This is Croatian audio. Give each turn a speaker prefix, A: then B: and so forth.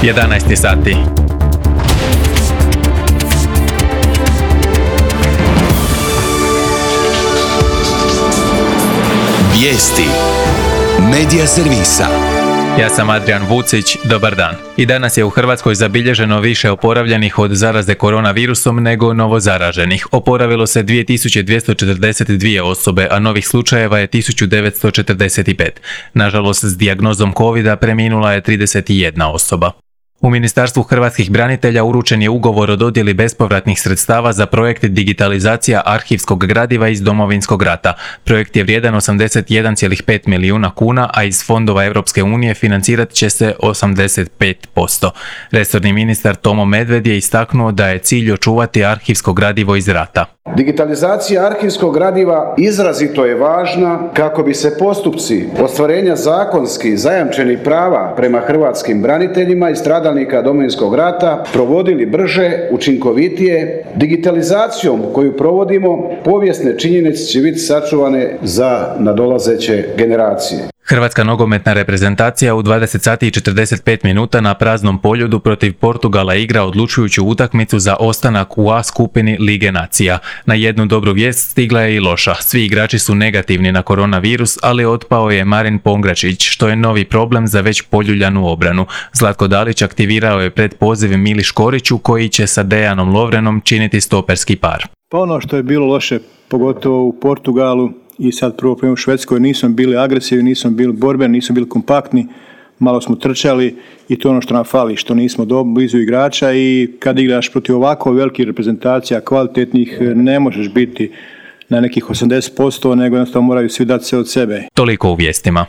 A: 11 sati.
B: Vijesti Medija servisa.
A: Ja sam Adrian Vucić, dobar dan. I danas je u Hrvatskoj zabilježeno više oporavljenih od zaraze koronavirusom nego novozaraženih. Oporavilo se 2242 osobe, a novih slučajeva je 1945. Nažalost, s dijagnozom covida preminula je 31 osoba. U Ministarstvu hrvatskih branitelja uručen je ugovor o dodjeli bespovratnih sredstava za projekt digitalizacija arhivskog gradiva iz Domovinskog rata. Projekt je vrijedan 81,5 milijuna kuna, a iz fondova Europske unije financirat će se 85%. Resorni ministar Tomo Medved je istaknuo da je cilj očuvati arhivsko gradivo iz rata.
C: Digitalizacija arhivskog gradiva izrazito je važna kako bi se postupci ostvarenja zakonski zajamčenih prava prema hrvatskim braniteljima i stradalnika Domovinskog rata provodili brže, učinkovitije. Digitalizacijom koju provodimo, povijesne činjenice će biti sačuvane za nadolazeće generacije.
A: Hrvatska nogometna reprezentacija u 20 sati i 45 minuta na praznom poljudu protiv Portugala igra odlučujuću utakmicu za ostanak u A skupini Lige nacija. Na jednu dobru vijest stigla je i loša. Svi igrači su negativni na koronavirus, ali otpao je Marin Pongračić, što je novi problem za već poljuljanu obranu. Zlatko Dalić aktivirao je predpoziv Mili Škoriću, koji će sa Dejanom Lovrenom činiti stoperski par.
D: Pa ono što je bilo loše, pogotovo u Portugalu, i sad prvo u Švedskoj, nismo bili agresivni, nismo bili borbeni, nismo bili kompaktni, malo smo trčali i to je ono što nam fali, što nismo blizu igrača i kad igraš protiv ovako velikih reprezentacija, kvalitetnih, ne možeš biti na nekih 80%, nego jednostavno moraju svi dati sve od sebe.
A: Toliko u vijestima.